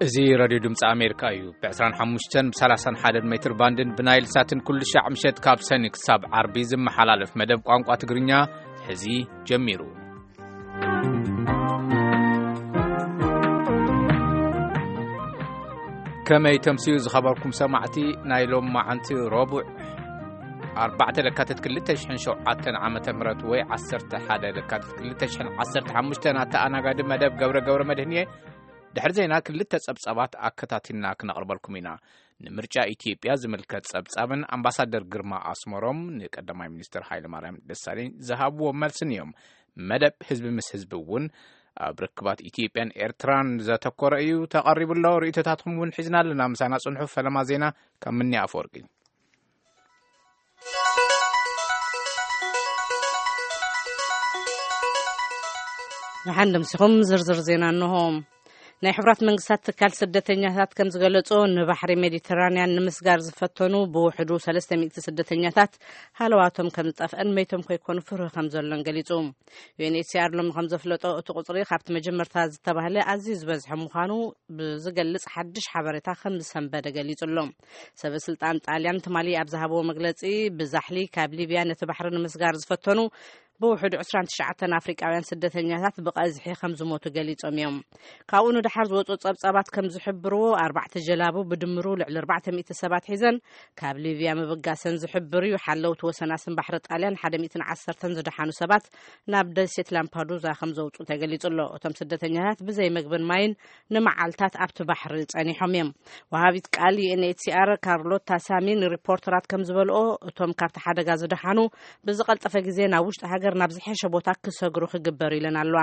እዚ ራድዮ ድምፂ ኣሜሪካ እዩ። ብ ዕስራን ሓሙሽተን ብ ሰላሳን ሓደን ሜትር ባንድን ብናይል ሳትን ኩሉ ሻዕ ምሸት ካብ ሰኒ ክሳብ ዓርቢ ዝመሓላለፍ መደብ ቋንቋ ትግርኛ ሕዚ ጀሚሩ። ከመይ ተምስዩ ዝኸበርኩም ሰማዕቲ፣ ናይ ሎም መዓንቲ ረቡዕ ኣርባዕተ ለካትት ክልተ ሽሕን ሸውዓተን ዓመተ ምህረት ወይ ዓሰርተ ሓደ ለካትት ክልተ ሽሕን ዓሰርተ ሓሙሽተን ኣተኣናጋዲ መደብ ገብረ ገብረ መድህን እየ። ድሕሪ ዜና ክልተ ጸብጻባት ኣከታቲልና ክነቕርበልኩም ኢና። ንምርጫ ኢትዮጵያ ዝምልከት ጸብጻብን ኣምባሳደር ግርማ ኣስመሮም ንቀዳማይ ሚኒስትር ሃይለማርያም ደሳለኝ ዝሃብዎ መልስን እዮም። መደብ ህዝቢ ምስ ህዝቢ እውን ኣብ ርክባት ኢትዮጵያን ኤርትራን ዘተኮረ እዩ ተቐሪቡ ኣሎ። ርእይቶታትኩም እውን ሒዝና ኣለና። ምሳና ጽንሑ። ፈለማ ዜና ካብ ምኒ ኣፈወርቂ። ደሓን ደምሲኹም ዝርዝር ዜና እንሆ። ናይ ሕቡራት መንግስታት ትካል ስደተኛታት ከም ዝገለጾ፣ ንባሕሪ ሜዲተራንያን ንምስጋር ዝፈተኑ ብውሕዱ ሰለስተ ሚእቲ ስደተኛታት ሃለዋቶም ከም ዝጠፍአን መይቶም ከይኮኑ ፍርሂ ከም ዘሎን ገሊጹ። ዩ ኤን ኤች ሲ ኣር ሎሚ ከም ዘፍለጦ፣ እቲ ቁጽሪ ካብቲ መጀመርታ ዝተባህለ ኣዝዩ ዝበዝሐ ምዃኑ ብዝገልጽ ሓድሽ ሓበሬታ ከም ዝሰንበደ ገሊጹ ኣሎ። ሰበ ስልጣን ጣልያን ትማሊ ኣብ ዝሃብዎ መግለጺ፣ ብዛሕሊ ካብ ሊብያ ነቲ ባሕሪ ንምስጋር ዝፈተኑ ብውሕዱ ዕስራን ትሽዓተን ኣፍሪቃውያን ስደተኛታት ብቐዝሒ ከም ዝሞቱ ገሊጾም እዮም። ካብኡ ንደሓር ዝወጹ ጸብጻባት ከም ዝሕብርዎ፣ ኣርባዕተ ጀላቡ ብድምሩ ልዕሊ ኣርባዕተ ሚእቲ ሰባት ሒዘን ካብ ሊብያ ምብጋሰን ዝሕብር እዩ። ሓለውቲ ወሰናስን ባሕሪ ጣልያን ሓደ ሚእትን ዓሰርተን ዝደሓኑ ሰባት ናብ ደሴት ላምፓዱዛ ከም ዘውጹ ተገሊጹ ኣሎ። እቶም ስደተኛታት ብዘይ መግብን ማይን ንመዓልታት ኣብቲ ባሕሪ ጸኒሖም እዮም። ወሃቢት ቃል ዩ ኤን ኤች ሲ ኣር ካርሎታ ሳሚ ንሪፖርተራት ከም ዝበልኦ፣ እቶም ካብቲ ሓደጋ ዝደሓኑ ብዝቐልጠፈ ግዜ ናብ ውሽጢ ሃገር ናብ ዝሐሸ ቦታ ክሰግሩ ክግበር ኢለን ኣለዋ።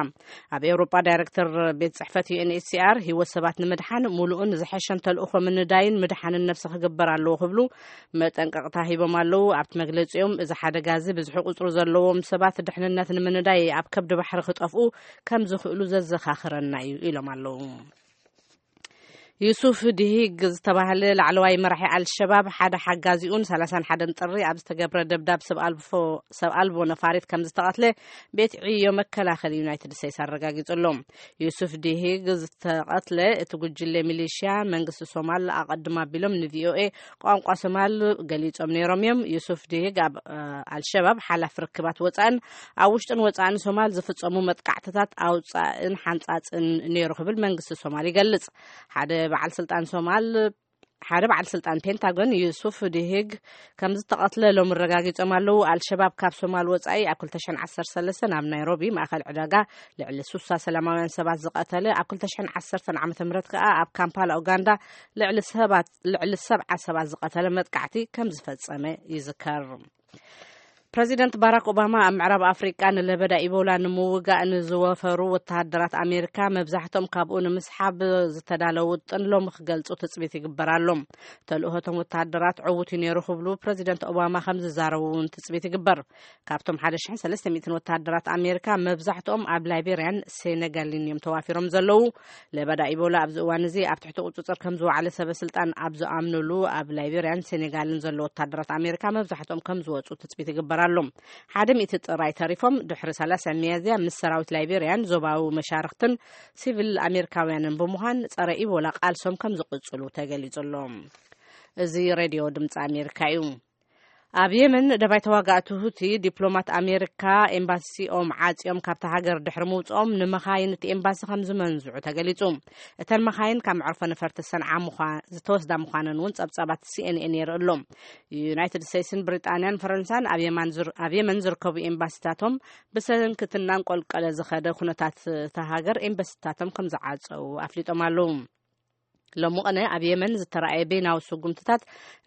ኣብ ኤውሮጳ ዳይሬክተር ቤት ጽሕፈት ዩ ኤን ኤች ሲ ኣር፣ ህይወት ሰባት ንምድሓን ምሉእን ዝሐሸን ተልእኾ ምንዳይን ምድሓንን ነብሲ ክግበር ኣለዎ ክብሉ መጠንቀቕታ ሂቦም ኣለዉ። ኣብቲ መግለጺኦም፣ እዚ ሓደጋ እዚ ብዝሒ ቁጽሪ ዘለዎም ሰባት ድሕንነት ንምንዳይ ኣብ ከብዲ ባሕሪ ክጠፍኡ ከም ዝኽእሉ ዘዘኻኽረና እዩ ኢሎም ኣለዉ። ዩሱፍ ዲሂግ ዝተባህለ ላዕለዋይ መራሒ ኣልሸባብ ሓደ ሓጋዚኡን ሰላሳን ሓደን ጥሪ ኣብ ዝተገብረ ደብዳብ ሰብ ኣልፎ-፣ ሰብ ኣልቦ ነፋሪት ከም ዝተቐትለ ቤት ዕዮ መከላኸሊ ዩናይትድ ስቴትስ ኣረጋጊጹ ኣሎ። ዩሱፍ ዲሂግ ዝተቐትለ እቲ ጉጅለ ሚሊሽያ መንግስቲ ሶማል ኣቐድም ኣቢሎም ን ቪ ኦ ኤ ቋንቋ ሶማል ገሊጾም ነይሮም እዮም። ዩሱፍ ዲሂግ ኣብ፣ እ፣ ኣልሸባብ ሓላፊ ርክባት ወጻእን ኣብ ውሽጥን ወጻእን ሶማል ዝፍጸሙ መጥቃዕትታት ኣውጻእን ሓንጻጽን ነይሩ ክብል መንግስቲ ሶማል ይገልጽ። ሓደ በዓል ስልጣን ሶማል፣ ሓደ በዓል ስልጣን ፔንታጎን ዩሱፍ ዲሂግ ከም ዝተቐትለ ሎም ኣረጋጊጾም ኣለዉ። ኣልሸባብ ካብ ሶማል ወጻኢ ኣብ ክልተ ሽሕን ዓሰርተ ሰለስተን ኣብ ናይሮቢ ማእከል ዕዳጋ ልዕሊ ሱሳ ሰላማውያን ሰባት ዝቐተለ፣ ኣብ ክልተ ሽሕን ዓሰርተን ዓመተ ምህረት ከኣ ኣብ ካምፓላ ኡጋንዳ ልዕሊ ሰባት፣ ልዕሊ ሰብዓ ሰባት ዝቐተለ መጥቃዕቲ ከም ዝፈጸመ ይዝከር። ፕረዚደንት ባራክ ኦባማ ኣብ ምዕራብ ኣፍሪቃ ንለበዳ ኢቦላ ንምውጋእ ንዝወፈሩ ወተሃደራት ኣሜሪካ መብዛሕትኦም ካብኡ ንምስሓብ ዝተዳለዉ ውጥን ሎሚ ክገልጹ ትጽቢት ይግበር ኣሎ። ተልእሆ እቶም ወተሃደራት ዕዉት እዩ ነይሩ ክብሉ ፕረዚደንት ኦባማ ከም ዝዛረቡ እውን ትጽቢት ይግበር። ካብቶም ሓደ ሽሕን ሰለስተ ሚእትን ወተሃደራት ኣሜሪካ መብዛሕትኦም ኣብ ላይቤርያን ሴኔጋልን እዮም ተዋፊሮም ዘለዉ። ለበዳ ኢቦላ ኣብዚ እዋን እዚ ኣብ ትሕቲ ቁጽጽር ከም ዝወዓለ ሰበ ስልጣን ኣብ ዝኣምኑሉ ኣብ ላይቤርያን ሴኔጋልን ዘለዉ ወተሃደራት ኣሜሪካ መብዛሕትኦም ከም ዝወጹ ትጽቢት ይግበር ኣሎ። ሓደ ሚእቲ ጥራይ ተሪፎም ድሕሪ ሰላሳ ሚያዝያ ምስ ሰራዊት ላይቤርያን ዞባዊ መሻርኽትን ሲቪል ኣሜሪካውያንን ብምዃን ጸረ ኢቦላ ቃልሶም ከም ዝቕጽሉ ተገሊጹ ኣሎ። እዚ ሬድዮ ድምፂ ኣሜሪካ እዩ። ኣብ የመን ደባይ ተዋጋእቲ ሁቲ ዲፕሎማት ኣሜሪካ ኤምባሲኦም ዓጽዮም ካብታ ሃገር ድሕሪ ምውፅኦም ንመኻይን እቲ ኤምባሲ ከም ዝመንዝዑ ተገሊጹ። እተን መኻይን ካብ መዕርፎ ነፈርቲ ሰንዓ ምዃ-፣ ዝተወስዳ ምዃነን እውን ጸብጻባት ሲ ኤን ኤን የርኢ ኣሎ። ዩናይትድ ስቴትስን ብሪጣንያን ፈረንሳን ኣብ የማን ዝር-፣ ኣብ የመን ዝርከቡ ኤምባሲታቶም ብሰንኪ እቲ እናንቆልቀለ ዝኸደ ኩነታት እታ ሃገር ኤምባሲታቶም ከም ዝዓጸው ኣፍሊጦም ኣለዉ። ሎሚ ቅነ ኣብ የመን ዝተራእየ በይናዊ ስጉምትታት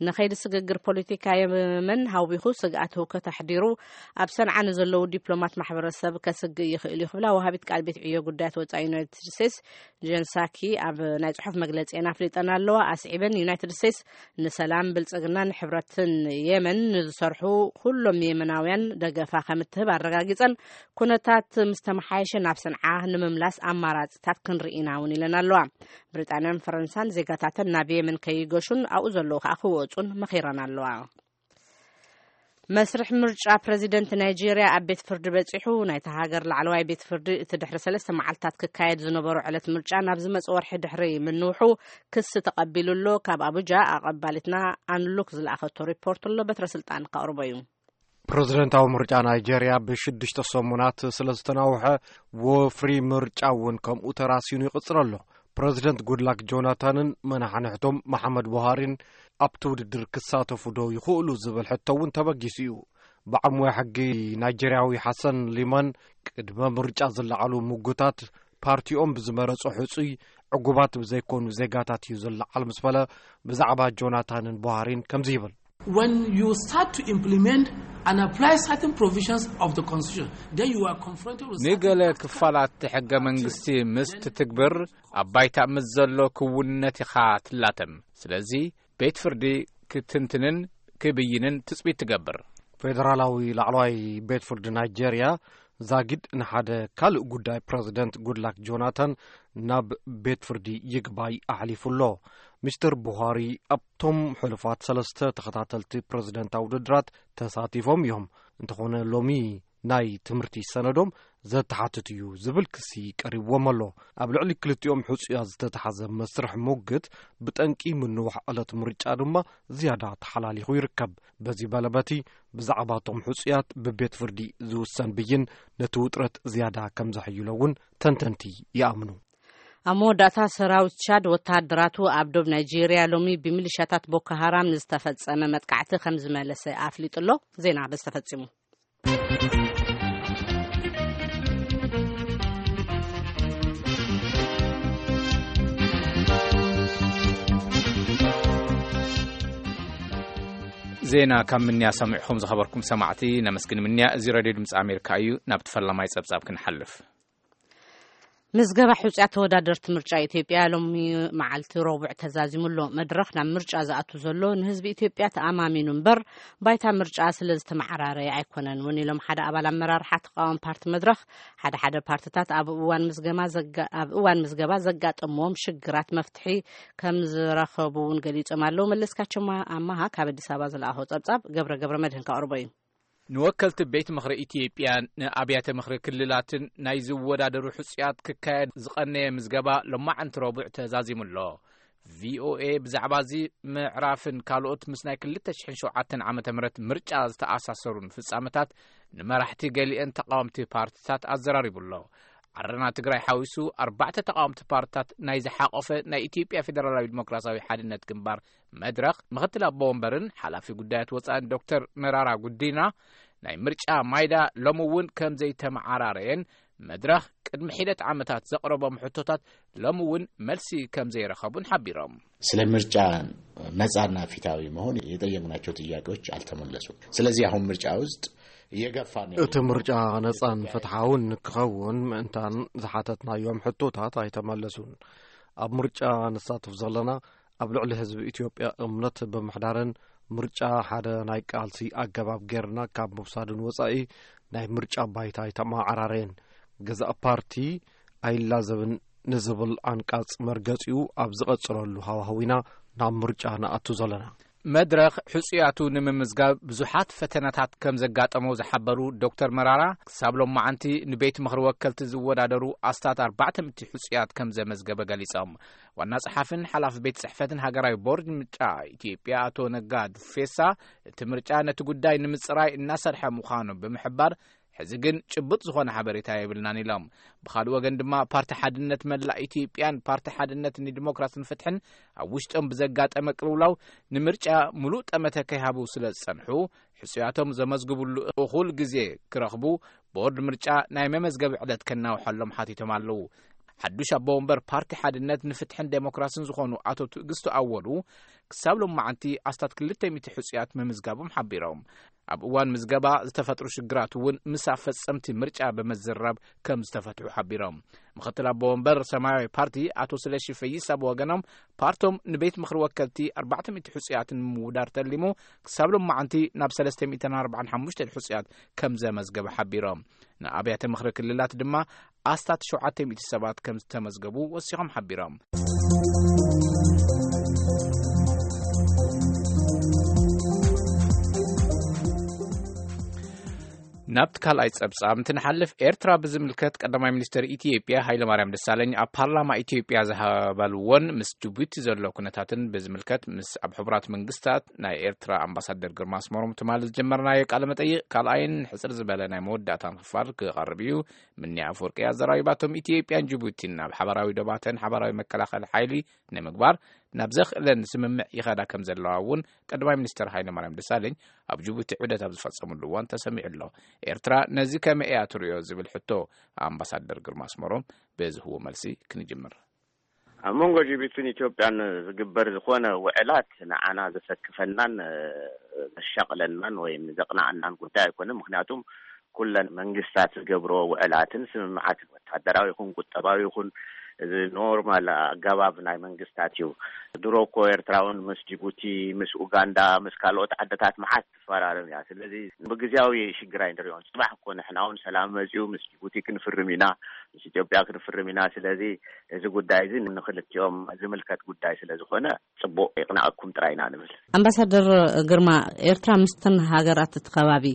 ንኸይዲ ስግግር ፖለቲካ የመን ሃዊኹ ስግኣት ህውከት ኣሕዲሩ ኣብ ሰንዓ ንዘለዉ ዲፕሎማት ማሕበረሰብ ከስግእ ይኽእል እዩ ክብላ ወሃቢት ቃል ቤት ዕዮ ጉዳያት ወጻኢ ዩናይትድ ስቴትስ ጀን ሳኪ ኣብ ናይ ጽሑፍ መግለጺኤን ኣፍሊጠን ኣለዋ። ኣስዒበን ዩናይትድ ስቴትስ ንሰላም፣ ብልጽግናን ሕብረትን የመን ንዝሰርሑ ኩሎም የመናውያን ደገፋ ከም እትህብ ኣረጋጊጸን፣ ኩነታት ምስ ተመሓየሸ ናብ ሰንዓ ንምምላስ ኣማራጺታት ክንርኢ ኢና እውን ኢለን ኣለዋ። ብሪጣንያን ፈረንሳን ዜጋታተን ናብ የመን ከይገሹን ኣብኡ ዘለዉ ከኣ ክወጹን መኺረን ኣለዋ። መስርሕ ምርጫ ፕረዚደንት ናይጄርያ ኣብ ቤት ፍርዲ በጺሑ። ናይታ ሃገር ላዕለዋይ ቤት ፍርዲ እቲ ድሕሪ ሰለስተ መዓልታት ክካየድ ዝነበሮ ዕለት ምርጫ ናብ ዝመጽእ ወርሒ ድሕሪ ምንውሑ ክሲ ተቐቢሉ ኣሎ። ካብ ኣቡጃ ኣቐባሊትና ኣንሉክ ዝለኣኸቶ ሪፖርት ኣሎ። በትረ ስልጣን ከቕርቦ እዩ። ፕረዚደንታዊ ምርጫ ናይጄርያ ብሽዱሽተ ሰሙናት ስለ ዝተናውሐ፣ ወፍሪ ምርጫ እውን ከምኡ ተራሲኑ ይቕጽል ኣሎ። ፕረዚደንት ጉድላክ ጆናታንን መናሕንሕቶም መሓመድ ቡሃሪን ኣብቲ ውድድር ክሳተፉ ዶ ይኽእሉ ዝብል ሕቶ እውን ተበጊሱ እዩ። ብዓሙያ ሕጊ ናይጄርያዊ ሓሰን ሊማን፣ ቅድመ ምርጫ ዝለዓሉ ምጉታት ፓርቲኦም ብዝመረጾ ሕጹይ ዕጉባት ብዘይኮኑ ዜጋታት እዩ ዝለዓል ምስ በለ፣ ብዛዕባ ጆናታንን ቡሃሪን ከምዚ ይብል። When you start to implement and apply certain provisions of the constitution, then you are confronted with certain ንገለ practical ክፋላት ሕገ መንግስቲ ምስ ትትግብር ኣብ ባይታ ምስ ዘሎ ክውንነት ኢኻ ትላተም። ስለዚ ቤት ፍርዲ ክትንትንን ክብይንን ትጽቢት ትገብር። ፌደራላዊ ላዕለዋይ ቤት ፍርዲ ናይጄርያ ዛጊድ ንሓደ ካልእ ጉዳይ ፕረዚደንት ጉድላክ ጆናታን ናብ ቤት ፍርዲ ይግባይ ኣሕሊፉ ኣሎ። ሚስተር ቡሃሪ ኣብቶም ሕሉፋት ሰለስተ ተኸታተልቲ ፕረዚደንታዊ ውድድራት ተሳቲፎም እዮም። እንተኾነ ሎሚ ናይ ትምህርቲ ሰነዶም ዘተሓትት እዩ ዝብል ክሲ ቀሪብዎም ኣሎ። ኣብ ልዕሊ ክልቲኦም ሕጹያት ዝተታሕዘ መስርሕ ሙግት ብጠንቂ ምንዋሕ ዕለት ምርጫ ድማ ዝያዳ ተሓላሊኹ ይርከብ። በዚ በለበቲ ብዛዕባ እቶም ሕጹያት ብቤት ፍርዲ ዝውሰን ብይን ነቲ ውጥረት ዝያዳ ከም ዘሕይሎ እውን ተንተንቲ ይኣምኑ። ኣብ መወዳእታ ሰራዊት ቻድ ወተሃደራቱ ኣብ ዶብ ናይጄርያ ሎሚ ብሚሊሻታት ቦኮ ሃራም ንዝተፈጸመ መጥቃዕቲ ከም ዝመለሰ ኣፍሊጡ ኣሎ። ዜና በዚ ተፈጺሙ። ዜና ካብ ምንያ ሰሚዕኹም ዝኸበርኩም ሰማዕቲ ነመስግን። ምንያ እዚ ሬድዮ ድምፂ ኣሜሪካ እዩ። ናብቲ ፈላማይ ጸብጻብ ክንሓልፍ። ምዝገባ ሕጹያት ተወዳደርቲ ምርጫ ኢትዮጵያ ሎሚ መዓልቲ ረቡዕ ተዛዚሙ ኣሎ። መድረኽ ናብ ምርጫ ዝኣቱ ዘሎ ንህዝቢ ኢትዮጵያ ተኣማሚኑ እምበር ባይታ ምርጫ ስለ ዝተመዓራረየ ኣይኮነን እውን ኢሎም ሓደ ኣባል ኣመራርሓ ተቃዋሚ ፓርቲ መድረኽ። ሓደ ሓደ ፓርትታት ኣብ እዋን ምዝገማ ዘጋ-፣ ኣብ እዋን ምዝገባ ዘጋጠምዎም ሽግራት መፍትሒ ከም ዝረኸቡ እውን ገሊጾም ኣለዉ። መለስካቸው ማ-፣ ኣማሃ ካብ ኣዲስ ኣበባ ዝለኣኾ ጸብጻብ ገብረ ገብረ መድህን ከቕርቦ እዩ። ንወከልቲ ቤት ምኽሪ ኢትዮጵያ ንኣብያተ ምኽሪ ክልላትን ናይ ዝወዳደሩ ሕጹያት ክካየድ ዝቐነየ ምዝገባ ሎማዕንቲ ረቡዕ ተዛዚሙ ኣሎ። ቪኦኤ ብዛዕባ እዚ ምዕራፍን ካልኦት ምስ ናይ ክልተ ሽሕን ሸውዓተን ዓመተ ምህረት ምርጫ ዝተኣሳሰሩን ፍጻመታት ንመራሕቲ ገሊአን ተቃወምቲ ፓርትታት ኣዘራሪቡ ኣሎ። ዓረና ትግራይ ሓዊሱ ኣርባዕተ ተቃወምቲ ፓርትታት ናይ ዝሓቆፈ ናይ ኢትዮጵያ ፌደራላዊ ዲሞክራሲያዊ ሓድነት ግንባር መድረኽ ምኽትል ኣቦ ወንበርን ሓላፊ ጉዳያት ወጻእን ዶክተር መራራ ጉዲና ናይ ምርጫ ማይዳ ሎሚ እውን ከም ዘይተመዓራረየን መድረኽ ቅድሚ ሒደት ዓመታት ዘቕረቦም ሕቶታት ሎሚ እውን መልሲ ከም ዘይረኸቡን ሓቢሮም። ስለ ምርጫ ነጻና ፊታዊ መሆን የጠየቅናቸው ጥያቄዎች አልተመለሱም። ስለዚህ አሁን ምርጫ ውስጥ እየገፋን ያለ እቲ ምርጫ ነጻን ፍትሓውን ክኸውን ምእንታን ዝሓተትናዮም ሕቶታት ኣይተመለሱን። ኣብ ምርጫ ንሳተፍ ዘለና ኣብ ልዕሊ ህዝቢ ኢትዮጵያ እምነት ብምሕዳርን ምርጫ ሓደ ናይ ቃልሲ ኣገባብ ጌርና ካብ ምውሳድን ወጻኢ ናይ ምርጫ ባይታ ኣይተመዓራረየን። ገዛእ ፓርቲ ኣይላዘብን ንዝብል ዓንቃጽ መርገጺኡ ኣብ ዝቐጽለሉ ሃዋህው ኢና ናብ ምርጫ ንኣቱ ዘለና። መድረኽ ሕጹያቱ ንምምዝጋብ ብዙሓት ፈተናታት ከም ዘጋጠሞ ዝሓበሩ ዶክተር መራራ፣ ክሳብ ሎማዓንቲ ንቤት ምኽሪ ወከልቲ ዝወዳደሩ ኣስታት ኣርባዕተ ሚእቲ ሕጹያት ከም ዘመዝገበ ገሊጾም። ዋና ጸሓፍን ሓላፊ ቤት ጽሕፈትን ሃገራዊ ቦርድ ምርጫ ኢትዮጵያ ኣቶ ነጋ ዱፌሳ፣ እቲ ምርጫ ነቲ ጉዳይ ንምጽራይ እናሰርሐ ምዃኑ ብምሕባር፣ ሕዚ ግን ጭቡጥ ዝኾነ ሓበሬታ የብልናን ኢሎም። ብኻልእ ወገን ድማ ፓርቲ ሓድነት መላእ ኢትዮጵያን ፓርቲ ሓድነት ንዲሞክራስን ፍትሕን ኣብ ውሽጦም ብዘጋጠመ ቅልውላው ንምርጫ ሙሉእ ጠመተ ከይሃቡ ስለ ዝጸንሑ፣ ሕጹያቶም ዘመዝግብሉ እኹል ግዜ ክረኽቡ ቦርድ ምርጫ ናይ መመዝገቢ ዕለት ከናውሐሎም ሓቲቶም ኣለዉ። ሓዱሽ ኣቦ ወንበር ፓርቲ ሓድነት ንፍትሕን ዴሞክራስን ዝኾኑ ኣቶ ትዕግስቱ ኣወሉ፣ ክሳብ ሎማዓንቲ ኣስታት ክልተ ሚእቲ ሕጹያት ምምዝጋቦም ሓቢሮም። ኣብ እዋን ምዝገባ ዝተፈጥሩ ሽግራት እውን ምስ ኣፈጸምቲ ምርጫ ብምዝራብ ከም ዝተፈትሑ ሓቢሮም። ምኽትል ኣቦ ወንበር ሰማያዊ ፓርቲ ኣቶ ስለሺ ፈይሳ ብወገኖም፣ ፓርቶም ንቤት ምኽሪ ወከልቲ ኣርባዕተ ሚእቲ ሕጹያት ንምውዳር ተሊሙ ክሳብ ሎማዓንቲ ናብ ሰለስተ ሚእትን ኣርባዓን ሓሙሽተን ሕጹያት ከም ዘመዝገበ ሓቢሮም። ንኣብያተ ምኽሪ ክልላት ድማ ኣስታት ሸውዓተ ሚእቲ ሰባት ከም ዝተመዝገቡ ወሲኾም ሓቢሮም። ናብቲ ካልኣይ ጸብጻብ እንትንሓልፍ፣ ኤርትራ ብዝምልከት ቀዳማይ ሚኒስትር ኢትዮጵያ ሃይለማርያም ደሳለኝ ኣብ ፓርላማ ኢትዮጵያ ዝሃበልዎን ምስ ጅቡቲ ዘሎ ኩነታትን ብዝምልከት ምስ ኣብ ሕቡራት መንግስታት ናይ ኤርትራ ኣምባሳደር ግርማ ኣስመሮም ትማሊ ዝጀመርናዮ ቃለ መጠይቕ ካልኣይን ሕጽር ዝበለ ናይ መወዳእታን ክፋል ክቐርብ እዩ። ምኒ ኣፈወርቂ ኣዘራሪባቶም። ኢትዮጵያን ጅቡቲን ኣብ ሓባራዊ ዶባተን ሓባራዊ መከላኸሊ ሓይሊ ንምግባር ናብ ዘኽእለን ስምምዕ ይኸዳ ከም ዘለዋ እውን ቀዳማይ ሚኒስትር ሃይለማርያም ደሳለኝ ኣብ ጅቡቲ ዑደት ኣብ ዝፈጸምሉ እዋን ተሰሚዑ ኣሎ። ኤርትራ ነዚ ከመይ እያ ትርእዮ ዝብል ሕቶ ኣምባሳደር ግርማ ኣስመሮም ብዝህቦ መልሲ ክንጅምር። ኣብ መንጎ ጅቡትን ኢትዮጵያን ዝግበር ዝኾነ ውዕላት ንዓና ዘሰክፈናን፣ እ፣ ዘሻቕለናን ወይም ዘቕንኣናን ጉዳይ ኣይኮነን። ምኽንያቱም ኩለን መንግስታት ዝገብሮ ውዕላትን ስምምዓትን ወታደራዊ ይኹን ቁጠባዊ ይኹን እዚ ኖርማል ኣገባብ ናይ መንግስታት እዩ። ድሮ እኮ ኤርትራ እውን ምስ ጅቡቲ፣ ምስ ኡጋንዳ፣ ምስ ካልኦት ዓድታት መዓት ትፈራረም እያ። ስለዚ ብግዜያዊ ሽግር ኣይንሪኦን። ጽባሕ እኮ ንሕና እውን ሰላም መጺኡ ምስ ጅቡቲ ክንፍርም ኢና፣ ምስ ኢትዮጵያ ክንፍርም ኢና። ስለዚ እዚ ጉዳይ እዚ ንክልቲኦም ዝምልከት ጉዳይ ስለ ዝኾነ ጽቡቕ ይቕናኣኩም ጥራይ ኢና ንብል። ኣምባሳደር ግርማ፣ ኤርትራ ምስተን ሃገራት እቲ ከባቢ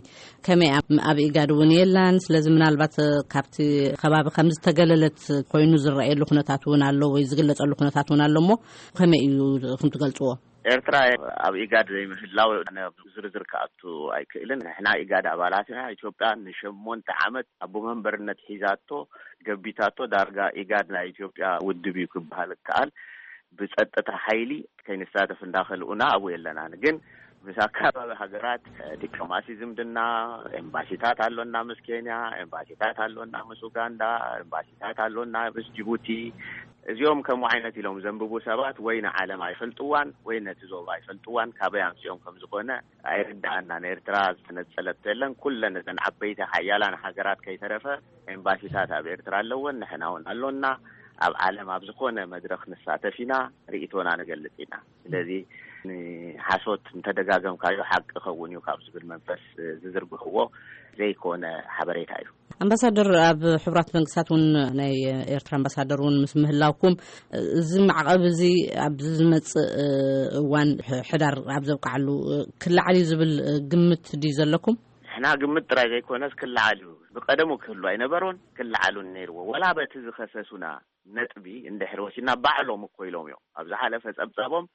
ከመይ ኣብ፣ ኣብ ኢጋድ እውን የላን። ስለዚ ምናልባት ካብቲ ከባቢ ከም ዝተገለለት ኮይኑ ዝረኣየሉ ኩነታት እውን ኣሎ ወይ ዝግለጸሉ ኩነታት እውን ኣሎ እሞ ከመይ እዩ እኹም ትገልጽዎ? ኤርትራ ኣብ ኢጋድ ዘይምህላው ኣነ ዝርዝር ክኣቱ ኣይክእልን። ንሕና ኢጋድ ኣባላት ኢና። ኢትዮጵያ ንሸሞንተ ዓመት ኣቦ መንበርነት ሒዛቶ፣ ገቢታቶ። ዳርጋ ኢጋድ ናይ ኢትዮጵያ ውድብ እዩ ክበሃል ይከኣል። ብጸጥታ ሓይሊ ከይንሳተፍ እንዳኸልኡና ኣብኡ የለናን። ግን ምስ ኣካባቢ ሃገራት ዲፕሎማሲ ዝምድና፣ ኤምባሲታት ኣሎና ምስ ኬንያ፣ ኤምባሲታት ኣሎና ምስ ኡጋንዳ፣ ኤምባሲታት ኣሎና ምስ ጅቡቲ። እዚኦም ከምኡ ዓይነት ኢሎም ዘንብቡ ሰባት ወይ ንዓለም ኣይፈልጥዋን ወይ ነቲ ዞባ ኣይፈልጥዋን፣ ካበይ ኣምጺኦም ከም ዝኾነ ኣይርድኣናን። ኤርትራ ዝተነጸለቶ የለን። ኩለን እተን ዓበይቲ ሓያላን ሃገራት ከይተረፈ ኤምባሲታት ኣብ ኤርትራ ኣለወን፣ ንሕና እውን ኣሎና። ኣብ ዓለም ኣብ ዝኾነ መድረኽ ንሳተፍ ኢና፣ ርእይቶና ንገልጽ ኢና። ስለዚ ንሓሶት እንተደጋገምካዮ ሓቂ ኸውን እዩ ካብ ዝብል መንፈስ ዝዝርግሕዎ ዘይኮነ ሓበሬታ እዩ። ኣምባሳደር፣ ኣብ ሕቡራት መንግስታት እውን ናይ ኤርትራ ኣምባሳደር እውን ምስ ምህላውኩም፣ እዚ ማዕቐብ እዚ ኣብ ዝመጽእ እዋን፣ ሕዳር ኣብ ዘብቅዓሉ፣ ክለዓል እዩ ዝብል ግምት ድዩ ዘለኩም? ንሕና ግምት ጥራይ ዘይኮነስ ክለዓል እዩ። ብቀደሙ ክህሉ ኣይነበሮን፣ ክለዓሉን ነይርዎ። ወላ በቲ ዝኸሰሱና ነጥቢ እንድሕር ወሲድና፣ ባዕሎም እኮ ኢሎም እዮም። ኣብ ዝሓለፈ ጸብጻቦም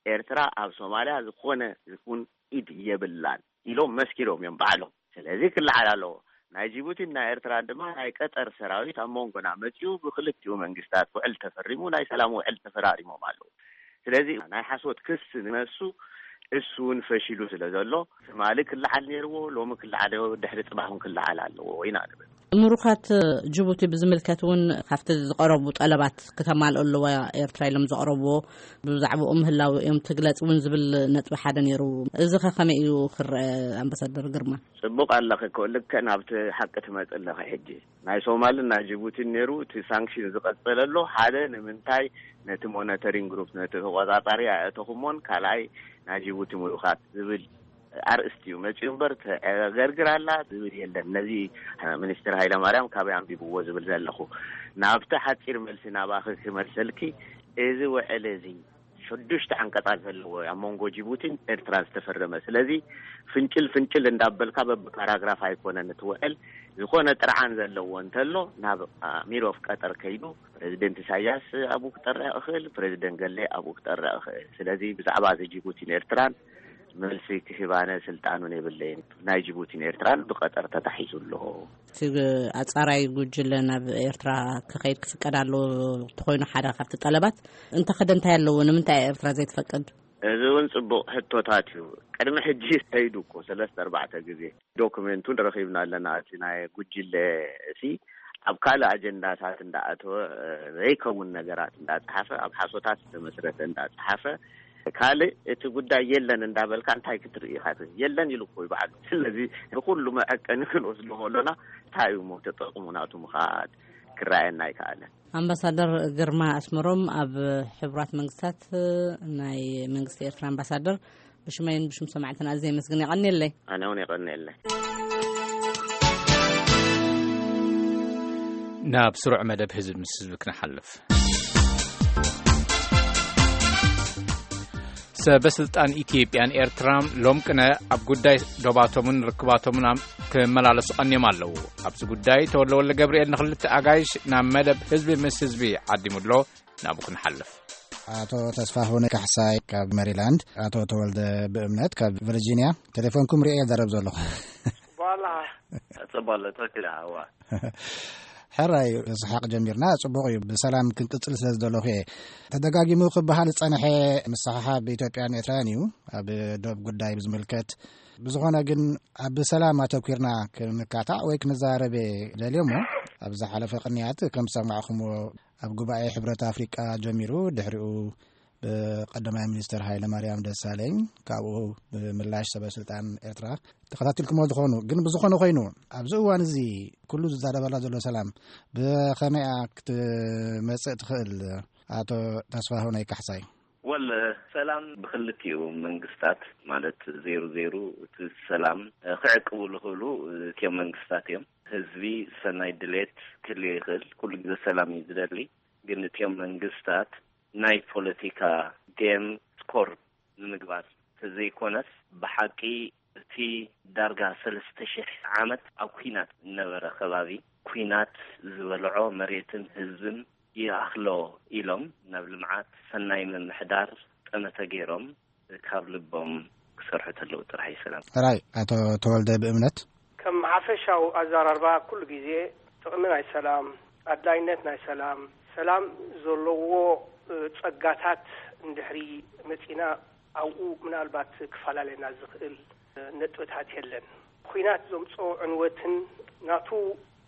ኤርትራ ኣብ ሶማልያ ዝኾነ ይኹን ኢድ የብላን ኢሎም መስኪሮም እዮም ባዕሎም። ስለዚ ክለዓል ኣለዎ። ናይ ጅቡቲን ናይ ኤርትራን ድማ ናይ ቀጠር ሰራዊት ኣብ መንጎና መጺኡ ብክልቲኡ መንግስታት ውዕል ተፈሪሙ፣ ናይ ሰላም ውዕል ተፈራሪሞም ኣለዉ። ስለዚ ናይ ሓሶት ክስ ንነሱ እሱ እውን ፈሺሉ ስለ ዘሎ ትማሊ ክለዓል ነይርዎ፣ ሎሚ ክለዓል፣ ድሕሪ ጽባሕ እውን ክለዓል ኣለዎ ኢና ንብል። ምሩኻት ጅቡቲ ብዝምልከት እውን ካብቲ ዝቐረቡ ጠለባት ክተማልኦ ኣለዋ ኤርትራ ኢሎም ዘቕረብዎ፣ ብዛዕባኡ ምህላው እዮም ትግለጽ እውን ዝብል ነጥቢ ሓደ ነይሩ። እዚ ኸ ከመይ እዩ ክረአ ኣምባሳደር ግርማ? ጽቡቕ ኣለኺ እኮ፣ ልክዕ ናብቲ ሓቂ ትመጽእ ኣለኺ። ሕጂ ናይ ሶማልን ናይ ጅቡቲን ነይሩ፣ እቲ ሳንክሽን ዝቐጸለ ኣሎ። ሓደ ንምንታይ ነቲ ሞኒተሪንግ ግሩፕ፣ ነቲ ተቆጻጻሪ ኣየእተኹሞን፣ ካልኣይ ናይ ጅቡቲ ምሩኻት ዝብል ኣርእስቲ እዩ መጺኡ እምበር፣ ተዕገርግር ኣላ ዝብል የለን። ነዚ ሚኒስትር ሃይለማርያም ካበይ ኣንቢብዎ ዝብል ዘለኹ። ናብቲ ሓጺር መልሲ ናባኺ ክመልሰልኪ፣ እዚ ውዕል እዚ ሽዱሽተ ዓንቀጻት ዘለዎ ኣብ መንጎ ጅቡቲን ኤርትራን ዝተፈረመ። ስለዚ ፍንጭል ፍንጭል እንዳበልካ በብፓራግራፍ ኣይኮነን እቲ ውዕል። ዝኾነ ጥርዓን ዘለዎ እንተሎ ናብ ኣሚር ኦፍ ቀጠር ከይዱ ፕሬዚደንት ኢሳያስ ኣብኡ ክጠርዕ ይኽእል፣ ፕሬዚደንት ገሌ ኣብኡ ክጠርዕ ይኽእል። ስለዚ ብዛዕባ እዚ ጅቡቲን ኤርትራን መልሲ ክህብ ኣነ ስልጣኑን የብለይን። ናይ ጅቡቲን ኤርትራን ብቀጠር ተታሒዙ ኣሎ። እቲ ኣጻራይ ጉጅለ ናብ ኤርትራ ክኸይድ ክፍቀድ ኣለዎ እንተኾይኑ ሓደ ካብቲ ጠለባት እንተኸደ እንታይ ኣለዎ? ንምንታይ እያ ኤርትራ ዘይትፈቅድ? እዚ እውን ጽቡቕ ሕቶታት እዩ። ቅድሚ ሕጂ ከይዱ እኮ ሰለስተ ኣርባዕተ ግዜ። ዶክመንቱን ረኺብና ኣለና። እቲ ናይ ጉጅለ እሲ ኣብ ካልእ ኣጀንዳታት እንዳኣተወ፣ እ፣ ዘይከውን ነገራት እንዳጸሓፈ፣ ኣብ ሓሶታት ዝተመስረተ እንዳጸሓፈ፣ ካልእ እቲ ጉዳይ የለን እንዳበልካ እንታይ ክትርኢ ኢኻ? የለን ኢሉ እኮ እዩ ባዕሉ። ስለዚ ንኩሉ መዐቀኒ ክንወስዶ ከሎና እንታይ እዩ እሞ ተጠቕሙ ናቱ ምኻድ ክረኣየና ኣይከኣለን። ኣምባሳደር ግርማ ኣስመሮም፣ ኣብ ሕቡራት መንግስታት ናይ መንግስቲ ኤርትራ ኣምባሳደር፣ ብሽመይን ብሽም ሰማዕትና ኣዝየ የመስግን። የቐንየለይ። ኣነ እውን የቐንየለይ። ናብ ስሩዕ መደብ ህዝብ ምስ ህዝብ ክንሓልፍ። ሰበስልጣን ኢትዮጵያን ኤርትራን ሎም ቅነ ኣብ ጉዳይ ዶባቶምን ርክባቶምን ኣም-፣ ክመላለሱ ቀንዮም ኣለዉ። ኣብዚ ጉዳይ ተወልደ ወልደ ገብርኤል ንኽልተ ኣጋይሽ ናብ መደብ ህዝቢ ምስ ህዝቢ ዓዲሙ ኣሎ። ናብኡ ክንሓልፍ። ኣቶ ተስፋሁን ካሕሳይ ካብ ሜሪላንድ፣ ኣቶ ተወልደ ብእምነት ካብ ቨርጂንያ፣ ቴሌፎንኩም ሪኤ ዘረብ ዘለኹ። በኋላ ጽቡቅ ኣሎ፣ ትኽክል፣ እዋ። ሕራይ፣ ስሓቅ ጀሚርና፣ ጽቡቅ እዩ። ብሰላም ክንቅጽል ስለ ዝደለኹ እየ። ተደጋጊሙ ክበሃል ዝጸንሐ ምስሕሓብ ኢትዮጵያን ኤርትራን እዩ፣ ኣብ ዶብ ጉዳይ ብዝምልከት። ብዝኾነ ግን፣ ኣብ ሰላም ኣተኲርና ክንካታዕ ወይ ክንዛረብ እየ ደልየ እሞ፣ ኣብ ዝሓለፈ ቅንያት ከም ዝሰማዕኹምዎ፣ ኣብ ጉባኤ ሕብረት ኣፍሪቃ ጀሚሩ፣ ድሕሪኡ ብቀዳማይ ሚኒስትር ሃይለ ማርያም ደሳለኝ፣ ካብኡ ብምላሽ ሰበ ስልጣን ኤርትራ ተኸታቲልኩሞ ዝኾኑ። ግን ብዝኾነ ኮይኑ፣ ኣብዚ እዋን እዚ ኩሉ ዝዛረበላ ዘሎ ሰላም ብኸመይ ክትመጽእ ትኽእል? ኣቶ ተስፋሁነይ ካሕሳይ። ወል፣ ሰላም ብክልቲኡ መንግስታት፣ ማለት ዜሩ ዜሩ፣ እቲ ሰላም ክዕቅቡ ዝኽእሉ እቲኦም መንግስታት እዮም። ህዝቢ ሰናይ ድሌት ክህልዮ ይኽእል። ኩሉ ግዜ ሰላም እዩ ዝደሊ። ግን እቲኦም መንግስታት ናይ ፖለቲካ ጌም ስኮር ንምግባር ተዘይኮነስ፣ ብሓቂ እቲ ዳርጋ ሰለስተ ሺሕ ዓመት ኣብ ኲናት ዝነበረ ከባቢ፣ ኲናት ዝበልዖ መሬትን ህዝብን ይኣኽሎ ኢሎም ናብ ልምዓት፣ ሰናይ ምምሕዳር ጠመተ ገይሮም ካብ ልቦም ክሰርሑ ተለዉ ጥራሕ እዩ ሰላም። ሕራይ፣ ኣቶ ተወልደ ብእምነት። ከም ሓፈሻዊ ኣዘራርባ፣ ኩሉ ግዜ ጥቕሚ ናይ ሰላም፣ ኣድላይነት ናይ ሰላም፣ ሰላም ዘለዎ፣ እ፣ ጸጋታት እንድሕሪ መጺና፣ ኣብኡ ምናልባት ክፈላለየና ዝኽእል፣ እ፣ ነጥብታት የለን። ኲናት ዘምጽኦ ዕንወትን ናቱ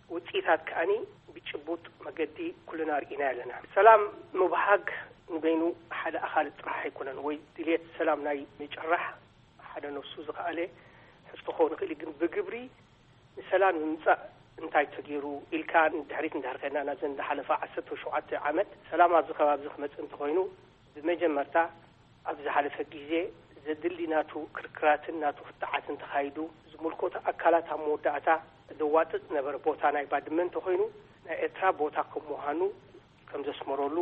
ውጽኢታት ከኣኒ ብጭቡጥ መገዲ ኩልና ርኢና ኣለና። ሰላም ምብሃግ ንበይኑ ሓደ ኣኻል ጥራሕ ኣይኮነን፣ ወይ ድልየት ሰላም ናይ ምጭራሕ ሓደ ነፍሱ ዝኸኣለ ሕቶ ክኸውን ይኽእል እዩ። ግን ብግብሪ ንሰላም ንምምጻእ እንታይ ተገይሩ ኢልካ ንድሕሪት እንድሕር ከድና፣ ናብዘን ዝሓለፋ ዓሰርተ ሸውዓተ ዓመት ሰላም ኣብዚ ከባቢ እዚ ክመጽእ እንተኾይኑ፣ ብመጀመርታ ኣብ ዝሓለፈ ግዜ ዘድሊ ናቱ ክርክራትን ናቱ ክትዓትን ተኻይዱ፣ ዝምልከቱ ኣካላት ኣብ መወዳእታ ዘዋጥጥ ዝነበረ ቦታ ናይ ባድመ እንተኾይኑ፣ ናይ ኤርትራ ቦታ ከም ምዃኑ ከም ዘስመረሉ፣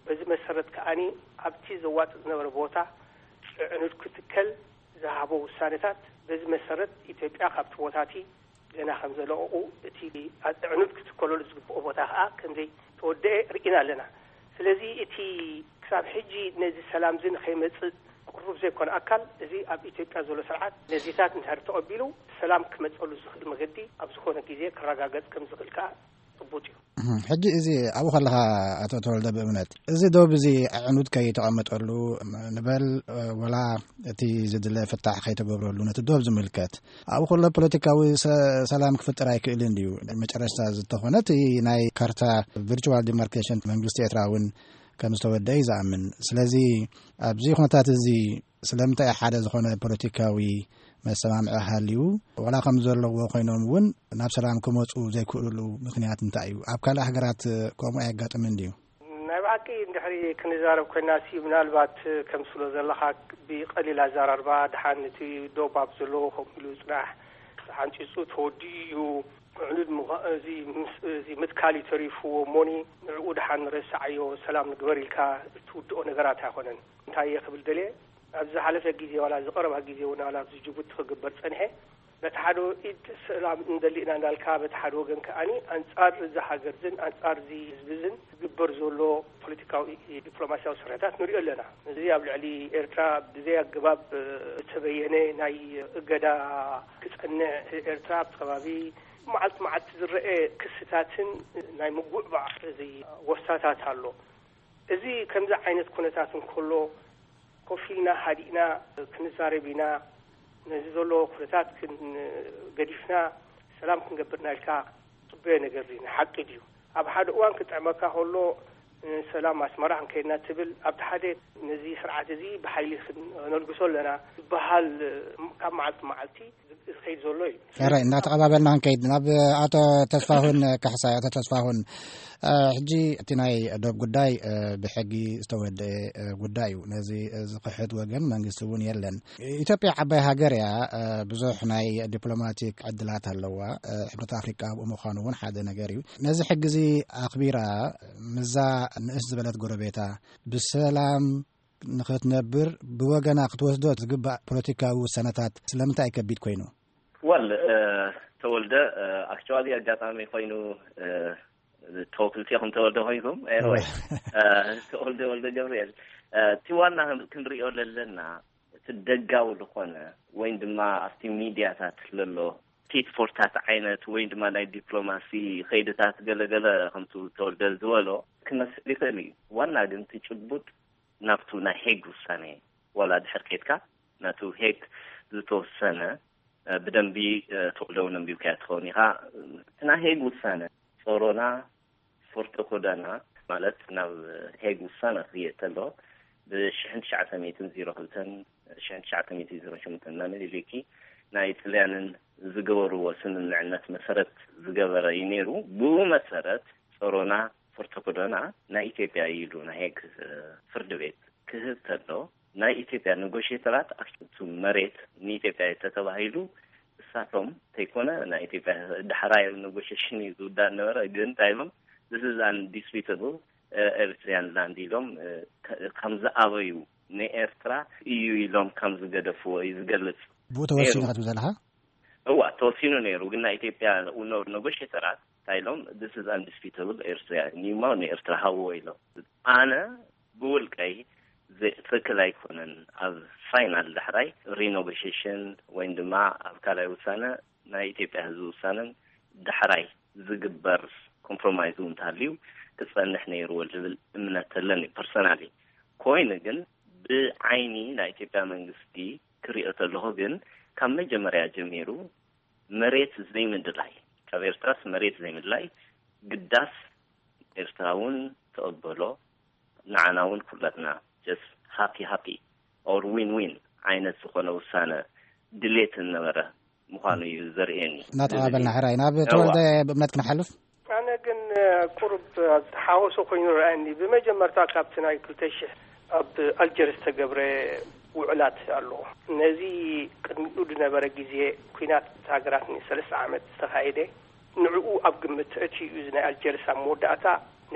በዚ መሰረት ከኣኒ ኣብቲ ዘዋጥጥ ዝነበረ ቦታ ኣዕኑድ ክትከል ዝሃቦ ውሳነታት፣ በዚ መሰረት ኢትዮጵያ ካብቲ ቦታ እቲ ገና ከም ዘለቐቑ፣ እቲ ኣዕኑድ ክትከለሉ ዝግብኦ ቦታ ከኣ ከም ዘይተወደአ ርኢና ኣለና። ስለዚ እቲ ክሳብ ሕጂ ነዚ ሰላም እዚ ንኸይመጽእ ቅሩብ ዘይኮነ ኣካል፣ እዚ ኣብ ኢትዮጵያ ዘሎ ስርዓት ነዚታት እንድሕር ተቐቢሉ፣ ሰላም ክመጸሉ ዝኽእል መገዲ ኣብ ዝኾነ ግዜ ክረጋገጽ ከም ዝኽእል ከኣ ጭቡጥ እዩ። እህም፣ ሕጂ እዚ ኣብኡ ከለኻ፣ ኣቶ ተወልደ፣ ብእምነት እዚ ዶብ እዚ ኣዕኑድ ከይተቐመጠሉ፣ ም-፣ ንበል፣ እ፣ ወላ እቲ ዝድለ ፍታሕ ከይተገብረሉ፣ ነቲ ዶብ ዝምልከት ኣብኡ ከሎ ፖለቲካዊ ሰ-፣ ሰላም ክፍጠር ኣይክእልን ድዩ? መጨረሽታ ዝተኾነ እቲ ናይ ካርታ ቪርቹዋል ዲማርኬሽን መንግስቲ ኤርትራ እውን ከም ዝተወደአ እዩ ዝኣምን። ስለዚ ኣብዚ ኩነታት እዚ ስለምንታይ ሓደ ዝኾነ ፖለቲካዊ መሰማምዒ ሃልዩ፣ ዋላ ከም ዘለዎ ኮይኖም እውን ናብ ሰላም ክመጹ ዘይክእሉሉ ምኽንያት እንታይ እዩ? ኣብ ካልእ ሃገራት ከምኡ ኣየጋጥምን ድዩ? ናይ ብሓቂ እንድሕሪ ክንዛረብ ኮይና ሲ፣ ምናልባት ከምስሎ ዘለኻ ብቐሊል ኣዘራርባ፣ ደሓን እቲ ዶብ ኣብ ዘለዎ ከምኡ ኢሉ ጽናሕ፣ ሓንጺጹ ተወዲኡ እዩ፣ ዕኑድ ምዃ-፣ እዚ ምስ-፣ እዚ ምትካል እዩ ተሪፍዎ እሞኒ፣ ንዕኡ ደሓን ረስዓዮ፣ ሰላም ንግበር ኢልካ እትውድኦ ነገራት ኣይኮነን። እንታይ እየ ክብል ደልየ፣ ኣብ ዝሓለፈ ግዜ፣ ዋላ ኣብዚ ቀረባ ግዜ እውን፣ ዋላ ኣብዚ ጅቡቲ ክግበር ጸንሐ፣ በቲ ሓደ ኢድ ሰላም እንደሊ ኢና እንዳልካ፣ በቲ ሓደ ወገን ከኣኒ ኣንጻር እዚ ሃገር ዝን ኣንጻር እዚ ህዝቢ ዝን ዝግበር ዘሎ ፖለቲካዊ ዲፕሎማሲያዊ ስርሕታት ንሪኦ ኣለና። እዚ ኣብ ልዕሊ ኤርትራ ብዘይ ኣገባብ ዝተበየነ ናይ እገዳ ክጸንዕ፣ ኤርትራ ኣብቲ ከባቢ መዓልቲ መዓልቲ ዝረአ ክስታትን ናይ ምጉዕባዕ እዚ ወስታታት ኣሎ። እዚ ከምዚ ዓይነት ኩነታት እንከሎ፣ ኮፍ ኢልና ሃዲእና ክንዛረብ ኢና፣ ነዚ ዘሎ ኩነታት ክን-፣ ገዲፍና ሰላም ክንገብር ኢና ኢልካ ትጽበዮ ነገር ድዩ? ንሓቂ ድዩ? ኣብ ሓደ እዋን ክጥዕመካ ከሎ፣ ሰላም ኣስመራ ክንከይድና ትብል፣ ኣብቲ ሓደ ነዚ ስርዓት እዚ ብሓይሊ ክነልግሶ ኣለና ዝበሃል ካብ መዓልቲ መዓልቲ ዝኸይድ ዘሎ እዩ። ሕራይ፣ እናተቐባበልና ክንከይድ፣ ናብ ኣቶ ተስፋሁን ካሕሳይ። ኣቶ ተስፋሁን፣ እ፣ ሕጂ እቲ ናይ ዶብ ጉዳይ፣ እ፣ ብሕጊ ዝተወደአ፣ እ፣ ጉዳይ እዩ። ነዚ፣ እ፣ ዝኽሕድ ወገን መንግስቲ እውን የለን። ኢትዮጵያ ዓባይ ሃገር እያ፣ እ፣ ብዙሕ ናይ ዲፕሎማቲክ ዕድላት ኣለዋ። እ፣ ሕብረት ኣፍሪቃ ኣብኡ ምዃኑ እውን ሓደ ነገር እዩ። ነዚ ሕጊ እዚ ኣኽቢራ፣ ምስዛ ንእስ ዝበለት ጎረቤታ ብሰላም ንኽትነብር ብወገና ክትወስዶ ዝግባእ ፖለቲካዊ ውሳነታት ስለምንታይ ከቢድ ኮይኑ? ወል ተወልደ፣ ኣክቹዋሊ ኣጋጣሚ ኮይኑ ተወክልቲ ኢኹም ተወልደ ኮይንኩም። ኤንወይ ተወልደ ወልደ ገብርኤል፣ እቲ ዋና ክንሪኦ ዘለና እቲ ደጋዊ ዝኾነ ወይም ድማ ኣብቲ ሚድያታት ለሎ ቲት ፎርታት ዓይነት ወይም ድማ ናይ ዲፕሎማሲ ኸይድታት ገለገለ ከምቱ ተወልደ ዝበሎ ክመስል ይኽእል እዩ። ዋና ግን እቲ ጭቡጥ ናብቱ ናይ ሄግ ውሳኔ ዋላ ድሕር ኬድካ ናቱ ሄግ ዝተወሰነ ብደንቢ ተወልደ እውን ኣንቢብካያ ትኸውን ኢኻ። እቲ ናይ ሄግ ውሳነ ጾሮና ፎርቶ ኮዳና ማለት ናብ ሄግ ውሳነ ክየት ተሎ ብሽሕን ትሽዓተ ሚእትን ዜሮ ክልተን ሽሕን ትሽዓተ ሚእትን ዜሮ ሸሞንተን እናመሊልኪ ናይ ጥልያንን ዝገበርዎ ስምምዕነት መሰረት ዝገበረ እዩ ነይሩ። ብኡ መሰረት ጾሮና ፎርቶ ኮዳና ናይ ኢትዮጵያ እዩ ኢሉ ናይ ሄግ ፍርዲ ቤት ክህብ ተሎ ናይ ኢትዮጵያ ነጎሽተራት ኣብቱ መሬት ንኢትዮጵያ ተተባሂሉ እሳቶም ተይኮነ ናይ ኢትዮጵያ ዳሕራይ ነጎሽሽን እዩ ዝውዳእ ነበረ። ግን እንታይ ኢሎም this is undisputable Eritrean land ኢሎም ከም ዝኣበዩ ንኤርትራ እዩ ኢሎም ከም ዝገደፍዎ እዩ ዝገልጽ። ብኡ ተወሲኑ ክትብል ዘለኻ? እዋ ተወሲኑ ነይሩ። ግን ናይ ኢትዮጵያ ነጎሽተራት እንታይ ኢሎም this is undisputable Eritrean እዩ እሞ ንኤርትራ ሃብዎ ኢሎም። ኣነ ብውልቀይ ትክክል ኣይኮነን። ኣብ ፋይናል ዳሕራይ ሪኖጎሽሽን ወይም ድማ ኣብ ካልኣይ ውሳነ ናይ ኢትዮጵያ ህዝቢ ውሳነን ዳሕራይ ዝግበር ኮምፕሮማይዝ እውን ተሃልዩ ክፀንሕ ነይርዎ ዝብል እምነት ተለኒ ፐርሰናሊ። ኮይኑ ግን ብዓይኒ ናይ ኢትዮጵያ መንግስቲ ክሪኦ ተለኹ ግን ካብ መጀመርያ ጀሚሩ መሬት ዘይምድላይ ካብ ኤርትራስ መሬት ዘይምድላይ ግዳስ ኤርትራ እውን ተቐበሎ ንዓና እውን ኩላትና just happy happy or win win ዓይነት ዝኾነ ውሳነ ድሌት ዝነበረ ምዃኑ እዩ ዘርእየኒ። እናተቐባበልና ሕራይ ናብ ተወልደ ብእምነት ክንሓልፍ። ኣነ ግን ቁሩብ ተሓወሶ ኮይኑ ረኣየኒ። ብመጀመርታ ካብቲ ናይ ክልተ ሽሕ ኣብ ኣልጀርስ ተገብረ ውዕላት ኣሎ። ነዚ ቅድሚኡ ዝነበረ ግዜ ኲናት ሃገራት ንሰለስተ ዓመት ዝተኻየደ ንዕኡ ኣብ ግምት ተእትዩ እዩ። እዚ ናይ ኣልጀርስ ኣብ መወዳእታ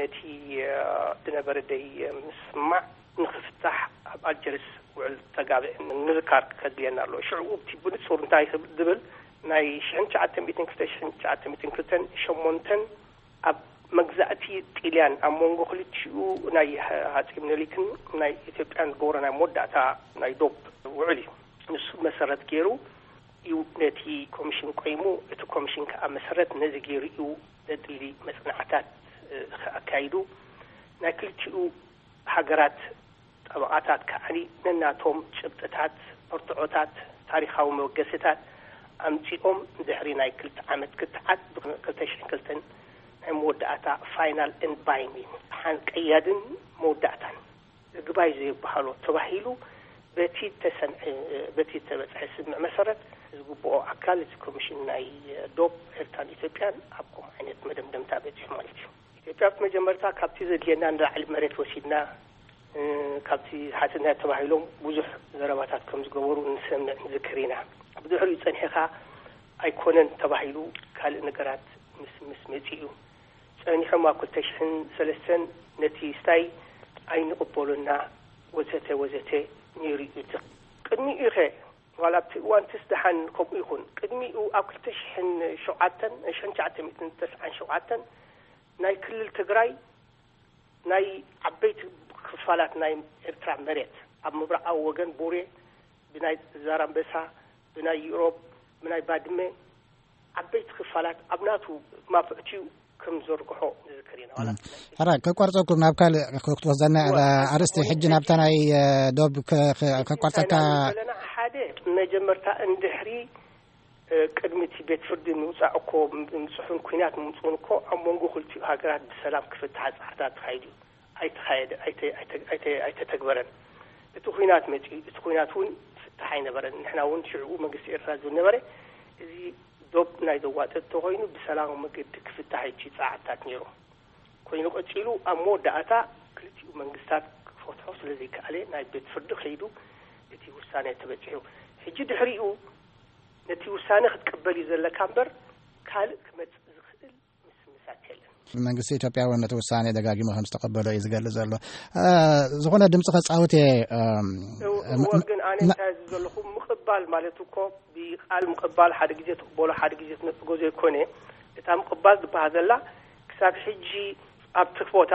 ነቲ ዝነበረ ደይ ምስማዕ ንኽፍታሕ ኣብ ኣልጀርስ ውዕል ተጋብአ ንምዝካር ከድልየና ኣለዎ። ሽዕኡ እቲ ብንጹር እንታይ ዝብል ናይ ሽሕን ትሽዓተ ሚእትን ክልተ ሽሕን ትሽዓተ ሚእትን ክልተን ሸሞንተን ኣብ መግዛእቲ ጢልያን ኣብ መንጎ ክልቲኡ ናይ ሃጺ ምኒልክን ናይ ኢትዮጵያን ዝገበሮ ናይ መወዳእታ ናይ ዶብ ውዕል እዩ። ንሱ መሰረት ገይሩ እዩ ነቲ ኮሚሽን ቆይሙ። እቲ ኮሚሽን ከዓ መሰረት ነዚ ገይሩ እዩ ዘድሊ መፅናዕታት ኣካይዱ። ናይ ክልቲኡ ሃገራት ጠበቓታት ከዓኒ ነናቶም ጭብጥታት፣ መርትዖታት፣ ታሪኻዊ መበገሲታት ኣምፂኦም ድሕሪ ናይ ክልተ ዓመት ክትዓት ብ ክልተ ሽሕን ክልተን ናይ መወዳእታ ፋይናል ኤንድ ባይንዲንግ ሓን ቀያድን መወዳእታን ግባይ ዘይበሃሎ ተባሂሉ በቲ ተሰምዐ በቲ ተበፅሐ ስምምዕ መሰረት ዝግብኦ ኣካል እቲ ኮሚሽን ናይ ዶብ ኤርትራን ኢትዮጵያን ኣብ ከምኡ ዓይነት መደምደምታ በፂሑ ማለት እዩ። ኢትዮጵያ ብመጀመርታ ካብቲ ዘድልየና ንላዕሊ መሬት ወሲድና፣ ካብቲ ሓትትና ተባሂሎም ብዙሕ ዘረባታት ከም ዝገበሩ ንሰምዕ ንዝክር ኢና። ብድሕሪኡ ጸኒሕኻ ኣይኮነን ተባሂሉ ካልእ ነገራት ምስ ምስ መጺኡ ጸኒሖም ኣብ ክልተ ሽሕን ሰለስተን ነቲ ስታይ ኣይንቕበሎና ወዘተ ወዘተ ነይሩ እዩ። ቅድሚኡ ኸ ዋላ ኣብቲ እዋን ትስ ደሓን ከምኡ ይኹን ቅድሚኡ ኣብ ክልተ ሽሕን ሸውዓተን ሽሕን ትሽዓተ ሚእትን ተስዓን ሸውዓተን ናይ ክልል ትግራይ ናይ ዓበይቲ ክፋላት ናይ ኤርትራ መሬት ኣብ ምብራቓዊ ወገን ቡሬ ብናይ ዛራምበሳ ብናይ ዩሮብ ብናይ ባድመ ዓበይቲ ክፋላት ኣብ ናቱ ማፍዕትኡ ከም ዘርግሖ ንዝክር ኢና። ሕራይ ከቋርፀኩም ናብ ካልእ ክትወስደና ኣርእስቲ ሕጂ ናብታ ናይ ዶብ ከቋርፀካ። ዘለና ሓደ መጀመርታ እንድሕሪ ቅድሚ እቲ ቤት ፍርዲ ምውፃእ እኮ ምፅሑን ኩናት ምምፅኡን እኮ ኣብ መንጎ ክልቲኡ ሃገራት ብሰላም ክፍትሓ ፃዕርታት ተኻይዱ እዩ። ኣይተኻየደ ኣይተተግበረን። እቲ ኩናት መፂኡ እቲ ኩናት እውን ፍታሕ ኣይነበረን። ንሕና እውን ሽዕኡ መንግስቲ ኤርትራ ዝብል ነበረ። እዚ ዶብ ናይ ዘዋጥጥ ተኮይኑ ብሰላማዊ መገዲ ክፍታሕ እዩ እቲ ፃዕርታት ነይሩ። ኮይኑ ቀፂሉ ኣብ መወዳእታ ክልቲኡ መንግስታት ክፈትሖ ስለዘይከኣለ ናይ ቤት ፍርዲ ከይዱ እቲ ውሳነ ተበፂሑ። ሕጂ ድሕሪኡ ነቲ ውሳነ ክትቅበል እዩ ዘለካ እምበር ካልእ ክመፅእ ዝኽእል ምስምሳት የለን። መንግስቲ ኢትዮጵያ እውን ነቲ ውሳኔ ደጋጊሙ ከም ዝተቐበሎ እዩ ዝገልጽ ዘሎ። እ፣ ዝኾነ ድምፂ ከጻውት እየ። እም፣ እው፣ ም- እዎ፣ ም- ግን ኣነ ና- እንታይ ዝብል ዘለኹ፣ ምቕባል ማለት እኮ ብቃል ምቕባል፣ ሓደ ግዜ ትቕበሎ ሓደ ግዜ ትነጽጎ ዘይኮነ፣ እታ ምቕባል ዝበሃል ዘላ ክሳብ ሕጂ ኣብቲ ቦታ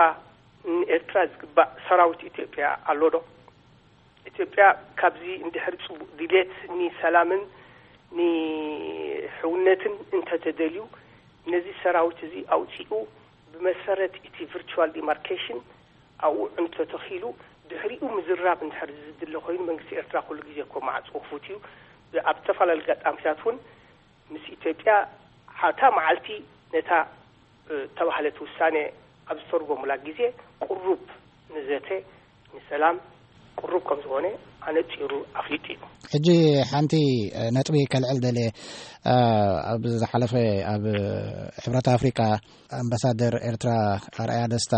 ንኤርትራ ዝግባእ ሰራዊት ኢትዮጵያ ኣሎ ዶ? ኢትዮጵያ ካብዚ እንድሕር ጽቡቕ ድሌት ንሰላምን ንሕውነትን እንተተደልዩ፣ ነዚ ሰራዊት እዚ ኣውጺኡ ብመሰረት እቲ ቪርቹዋል ዲማርኬሽን ኣብኡ እንተተኺሉ፣ ድሕሪኡ ምዝራብ እንድሕር ዝድለ ኮይኑ፣ መንግስቲ ኤርትራ ኩሉ ግዜ እኮ ማዕጾ ክፉት እዩ። ኣብ ዝተፈላለዩ ኣጋጣሚታት እውን ምስ ኢትዮጵያ ሓታ መዓልቲ ነታ፣ እ፣ ተባህለት ውሳኔ ኣብ ዝተርጎሙላ ግዜ፣ ቅሩብ ንዘተ ንሰላም ቅሩብ ከም ዝኾነ ኣነጺሩ ኣፍሊጡ እዩ። ሕጂ ሓንቲ፣ እ፣ ነጥቢ ከልዕል ደልየ። እ፣ ኣብ ዝሓለፈ ኣብ ሕብረት ኣፍሪቃ ኣምባሳደር ኤርትራ ኣርኣያ ደስታ፣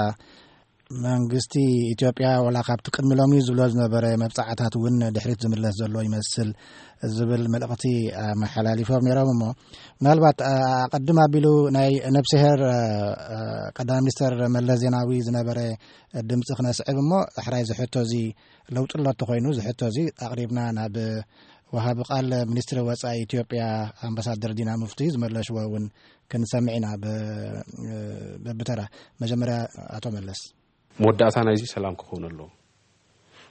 መንግስቲ ኢትዮጵያ ወላ ካብቲ ቅድሚ ሎሚ ዝብሎ ዝነበረ መብጻዕታት እውን ድሕሪት ዝምለስ ዘሎ ይመስል ዝብል መልእኽቲ ኣመሓላሊፎም ነይሮም። እሞ ምናልባት፣ እ፣ ኣቐድም ኣቢሉ ናይ ነብስሄር፣ እ፣ እ፣ ቀዳማይ ሚኒስተር መለስ ዜናዊ ዝነበረ ድምፂ ክነስዕብ እሞ፣ ሕራይ ዝሕቶ እዚ ለውጢ ኣሎ እንተኾይኑ፣ ዝሕቶ እዚ ኣቕሪብና ናብ ወሃቢ ቃል ሚኒስትሪ ወፃኢ ኢትዮጵያ ኣምባሳደር ዲና ሙፍቲ ዝመለሽዎ እውን ክንሰምዕ ኢና። ብ-፣ በብተራ። መጀመርያ ኣቶ መለስ። መወዳእታ ናይዚ ሰላም ክኸውን ኣለዎ።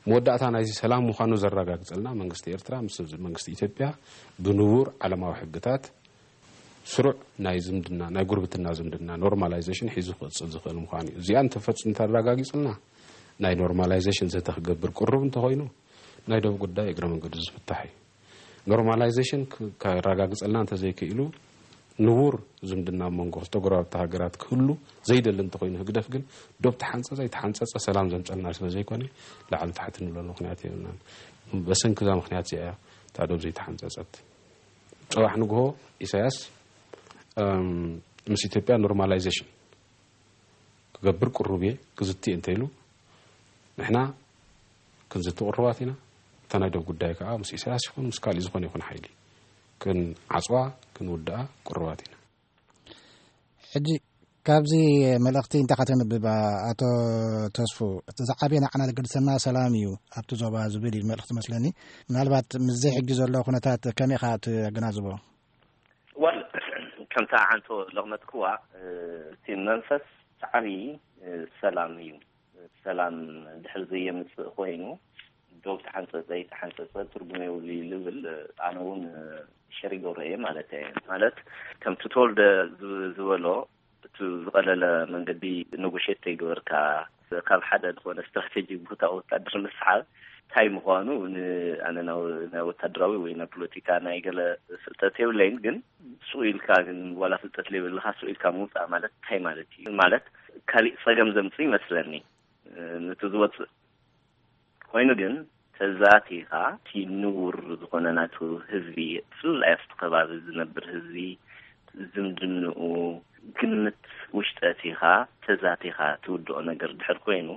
መወዳእታ ናይዚ ሰላም ምዃኑ ዘረጋግጸልና መንግስቲ ኤርትራ ምስ መንግስቲ ኢትዮጵያ ብንቡር ዓለማዊ ሕግታት ስሩዕ ናይ ዝምድና፣ ናይ ጉርብትና ዝምድና፣ ኖርማላይዜሽን ሒዙ ክቕጽል ዝኽእል ምዃኑ እዩ። እዚኣ እንተፈጽ-፣ እንተረጋጊጽልና፣ ናይ ኖርማላይዜሽን ዘተ ክገብር ቅሩብ እንተኾይኑ፣ ናይ ዶብ ጉዳይ እግረ መንገዱ ዝፍታሕ እዩ። ኖርማላይዜሽን ክ-፣ ከረጋግጸልና እንተዘይክኢሉ፣ ንቡር ዝምድና ኣብ መንጎ ክልተ ጎረባብቲ ሃገራት ክህሉ ዘይደሊ እንተኾይኑ፣ ህግደፍ ግን ዶብ ተሓንጸጸ ኣይተሓንጸጸ ሰላም ዘምጸልና ስለ ዘይኮነ፣ ላዕሊ ታሕቲ ንብለሉ ምኽንያት የብልናን። በሰንኪ እዛ ምኽንያት እዚኣ እያ እታ ዶብ ዘይተሓንጸጸት። ጽባሕ ንግሆ ኢሳያስ፣ እም፣ ምስ ኢትዮጵያ ኖርማላይዜሽን ክገብር ቅሩብ እየ፣ ክዝቲ እየ እንተኢሉ፣ ንሕና ክንዝቲ ቅሩባት ኢና። እታ ናይ ዶብ ጉዳይ ከኣ ምስ ኢሳያስ ይኹን ምስ ካልእ ዝኾነ ይኹን ሓይሊ ክንዓጽዋ፣ ክንውድኣ ቅሩባት ኢና። ሕጂ ካብዚ መልእኽቲ እንታይ ከተንብብ፣ ኣቶ ተስፉ? እቲ ዝዓበየ ንዓና ዘገድሰና ሰላም እዩ ኣብቲ ዞባ ዝብል እዩ መልእኽቲ መስለኒ። ምናልባት ምስዚ ሕጂ ዘሎ ኩነታት ከመይ ኢኻ ትገናዝቦ? ዋል፣ ከምታ ዓንቶ ለቕመጥክዋ፣ እ፣ እቲ መንፈስ ሳዕሪ፣ እ፣ ሰላም እዩ። ሰላም ድሕር ዘየምጽእ ኮይኑ፣ ዶብ ተሓንጸጸ ይተሓንጸጸ ትርጉም የብሉ እዩ ልብል፣ እ፣ ኣነ እውን፣ እ፣ ሸሪጎ ረእየ ማለት እየ። ማለት ከምቲ ተወልደ ዝ-፣ ዝበሎ፣ እቲ ዝቐለለ መንገዲ ነጎሼት ተይገበርካ፣ ካብ ሓደ ዝኾነ ስትራቴጂ ቦታ ወታደር ምስሓብ እንታይ ምዃኑ ን-፣ ኣነ ናይ ወ-፣ ናይ ወታደራዊ ወይ ናይ ፖለቲካ ናይ ገለ ፍልጠት የብለይን፣ ግን ሱቕ ኢልካ ግን ዋላ ፍልጠት ዘይብልካ ሱቕ ኢልካ ምውጻእ ማለት እንታይ ማለት እዩ? ማለት ካሊእ ጸገም ዘምጽእ ይመስለኒ። እ፣ ነቲ ዝወጽእ ኮይኑ ግን ተዛቲኻ እቲ ንቡር ዝኾነ ናቱ ህዝቢ፣ ብፍላይ ኣብቲ ከባቢ ዝነብር ህዝቢ፣ ዝምድንኡ፣ ግምት ውሽጠ ኣቲኻ ተዛቲኻ ትውድኦ ነገር ድሕር ኮይኑ፣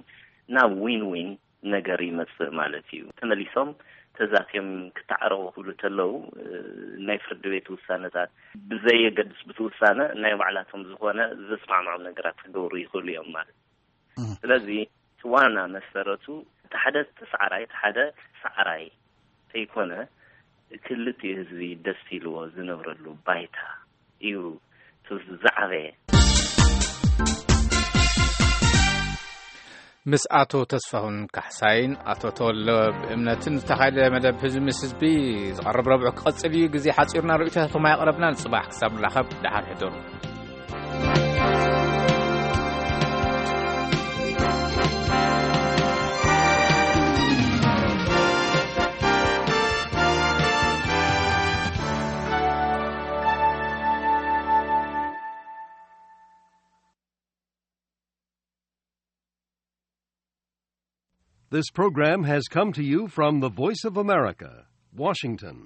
ናብ ዊን ዊን ነገር ይመጽእ ማለት እዩ። ተመሊሶም ተዛትዮም ክተዓረቑ ክብሉ ተለዉ፣ እ፣ ናይ ፍርዲ ቤት ውሳነታት ብዘየገድስ፣ ብቲ ውሳነ ናይ ባዕላቶም ዝኾነ ዘስማምዖም ነገራት ክገብሩ ይኽእሉ እዮም ማለት እዩ። እህ። ስለዚ እቲ ዋና መሰረቱ፣ እቲ ሓደ ተሳዕራይ፣ እቲ ሓደ ሰዓራይ ተይኮነ፣ ክልቲኡ ህዝቢ ደስ ኢልዎ ዝነብረሉ ባይታ እዩ እቲ ዝዓበየ። ምስ ኣቶ ተስፋሁን ካሕሳይን ኣቶ ተወልደ ብእምነትን ዝተኻየደ መደብ ህዝቢ ምስ ህዝቢ ዝቐርብ ረብዑ ክቐጽል እዩ። ግዜ ሓጺርና ርእይቶታቶም ኣየቕረብናን። ጽባሕ ክሳብ ንራኸብ ደሓን ሕደሩ። This program has come to you from the Voice of America, Washington.